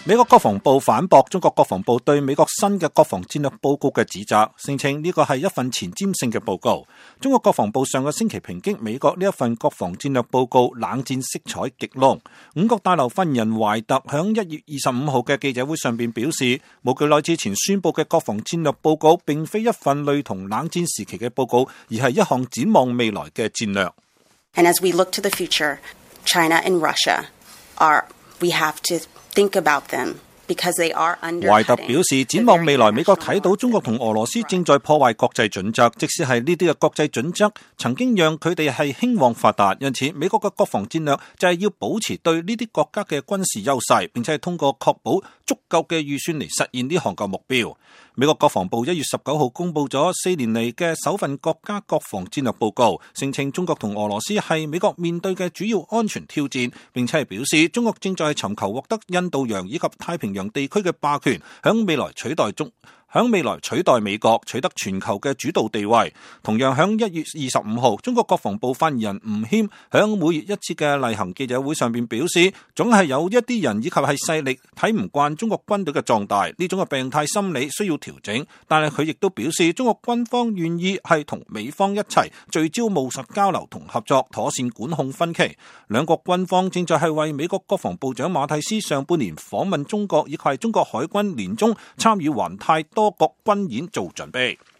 美國國防部反駁中國國防部對美國新嘅國防戰略報告嘅指責，聲稱呢個係一份前瞻性嘅報告。中國國防部上個星期抨擊美國呢一份國防戰略報告冷戰色彩極濃。五角大樓發言人懷特響1月25號嘅記者會上邊表示，冇幾耐之前宣佈嘅國防戰略報告並非一份類同冷戰時期嘅報告，而係一項展望未來嘅戰略。And as we look to the future, China and Russia we have to think about them because they are under. 懷特表示，展望未來，美國睇到中國同俄羅斯正在破壞國際準則，即使係呢啲嘅國際準則曾經讓佢哋係興旺發達，因此美國嘅國防戰略就係要保持對呢啲國家嘅軍事優勢，並且係通過確保足夠嘅預算嚟實現呢項嘅目標。美國國防部1月19號公布咗4年嚟嘅首份國家國防戰略報告，聲稱中國同俄羅斯係美國面對嘅主要安全挑戰，並且係表示中國正在尋求獲得印度洋以及太平洋地區嘅霸權，響未來取代美國，取得全球嘅主導地位。同樣響1月25號，中國國防部發言人吳謙響每月一次嘅例行記者會上邊表示，總係有一啲人以及係勢力睇唔慣中國軍隊嘅壯大，呢種嘅病態心理需要調整。但係佢亦都表示，中國軍方願意係同美方一齊聚焦務實交流同合作，妥善管控分歧。兩國軍方正在係為美國國防部長馬蒂斯上半年訪問中國以及係中國海軍年終參與環太多國軍演做準備。